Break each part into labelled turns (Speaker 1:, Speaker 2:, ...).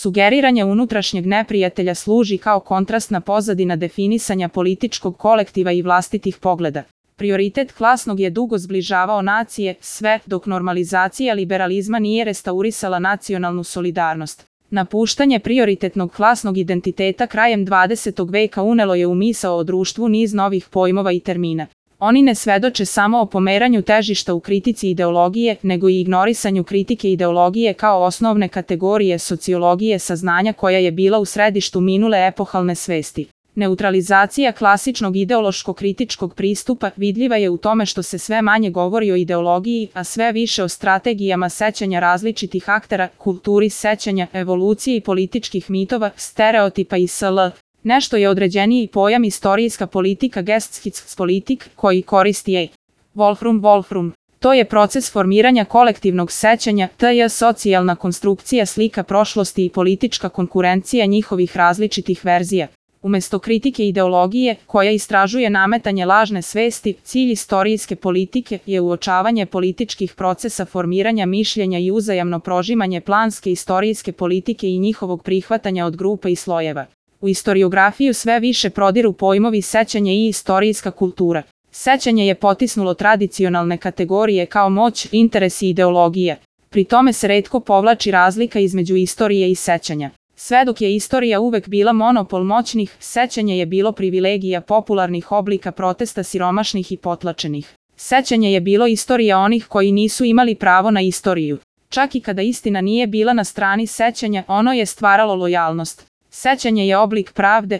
Speaker 1: Sugeriranje unutrašnjeg neprijatelja služi kao kontrastna pozadina definisanja političkog kolektiva i vlastitih pogleda. Prioritet klasnog je dugo zbližavao nacije, sve dok normalizacija liberalizma nije restaurisala nacionalnu solidarnost. Napuštanje prioritetnog klasnog identiteta krajem 20. veka unelo je u misao o društvu niz novih pojmova i termina. Oni ne svedoče samo o pomeranju težišta u kritici ideologije, nego i ignorisanju kritike ideologije kao osnovne kategorije sociologije saznanja koja je bila u središtu minule epohalne svesti. Neutralizacija klasičnog ideološko-kritičkog pristupa vidljiva je u tome što se sve manje govori o ideologiji, a sve više o strategijama sećanja različitih aktera, kulturi sećanja, evoluciji političkih mitova, stereotipa i sl. Nešto je određeniji pojam istorijska politika Geschichtspolitik koji koristi E. Wolfram. To je proces formiranja kolektivnog sećanja, tj. socijalna konstrukcija slika prošlosti i politička konkurencija njihovih različitih verzija. Umesto kritike ideologije, koja istražuje nametanje lažne svesti, cilj istorijske politike je uočavanje političkih procesa formiranja mišljenja i uzajamno prožimanje planske istorijske politike i njihovog prihvatanja od grupa i slojeva. U istoriografiju sve više prodiru pojmovi sećanje i istorijska kultura. Sećanje je potisnulo tradicionalne kategorije kao moć, interes i ideologija. Pri tome se retko povlači razlika između istorije i sećanja. Sve dok je istorija uvek bila monopol moćnih, sećanje je bilo privilegija popularnih oblika protesta siromašnih i potlačenih. Sećanje je bilo istorija onih koji nisu imali pravo na istoriju. Čak i kada istina nije bila na strani sećanja, ono je stvaralo lojalnost. Sećanje je oblik pravde,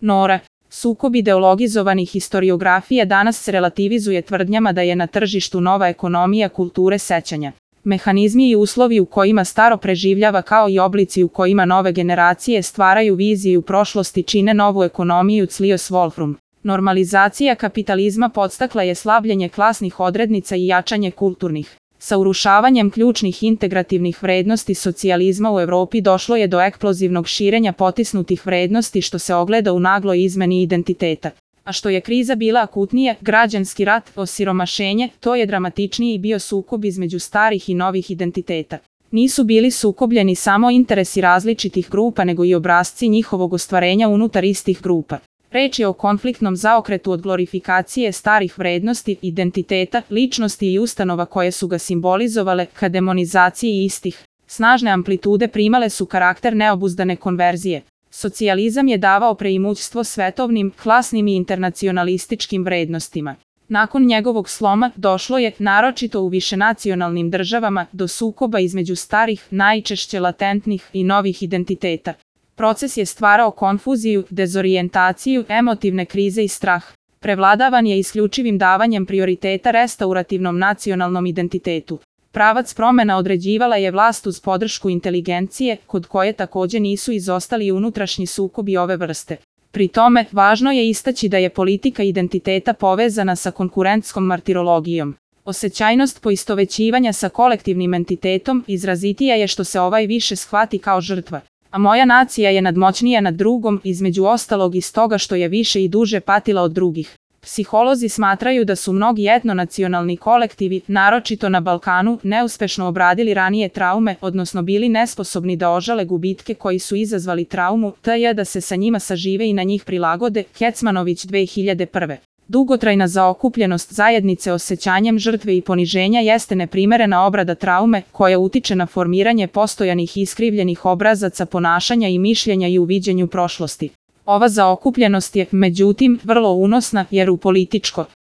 Speaker 1: Nora. Sukob ideologizovanih historiografija danas se relativizuje tvrdnjama da je na tržištu nova ekonomija kulture sećanja. Mehanizmi i uslovi u kojima staro preživljava kao i oblici u kojima nove generacije stvaraju viziju prošlosti čine novu ekonomiju Clios Wolfram. Normalizacija kapitalizma podstakla je slabljenje klasnih odrednica i jačanje kulturnih. Sa urušavanjem ključnih integrativnih vrednosti socijalizma u Evropi došlo je do eksplozivnog širenja potisnutih vrednosti što se ogleda u nagloj izmeni identiteta. A što je kriza bila akutnija, građanski rat, osiromašenje, to je dramatičniji bio sukob između starih i novih identiteta. Nisu bili sukobljeni samo interesi različitih grupa nego i obrasci njihovog ostvarenja unutar istih grupa. Reč je o konfliktnom zaokretu od glorifikacije starih vrednosti, identiteta, ličnosti i ustanova koje su ga simbolizovale ka demonizaciji istih. Snažne amplitude primale su karakter neobuzdane konverzije. Socijalizam je davao preimućstvo svetovnim, klasnim i internacionalističkim vrednostima. Nakon njegovog sloma došlo je, naročito u višenacionalnim državama, do sukoba između starih, najčešće latentnih i novih identiteta. Proces je stvarao konfuziju, dezorijentaciju, emotivne krize i strah. Prevladavan je isključivim davanjem prioriteta restaurativnom nacionalnom identitetu. Pravac promena određivala je vlast uz podršku inteligencije, kod koje takođe nisu izostali unutrašnji sukobi ove vrste. Pri tome, važno je istaći da je politika identiteta povezana sa konkurentskom martirologijom. Osećajnost poistovećivanja sa kolektivnim entitetom izrazitija je što se ovaj više shvati kao žrtva. A moja nacija je nadmoćnija nad drugom, između ostalog iz toga što je više i duže patila od drugih. Psiholozi smatraju da su mnogi etnonacionalni kolektivi, naročito na Balkanu, neuspešno obradili ranije traume, odnosno bili nesposobni da ožale gubitke koji su izazvali traumu, t.j. da se sa njima sažive i na njih prilagode. Kecmanović 2001. Dugotrajna zaokupljenost zajednice osjećanjem žrtve i poniženja jeste neprimerena obrada traume, koja utiče na formiranje postojanih iskrivljenih obrazaca ponašanja i mišljenja i u viđenju prošlosti. Ova zaokupljenost je, međutim, vrlo unosna jer u političko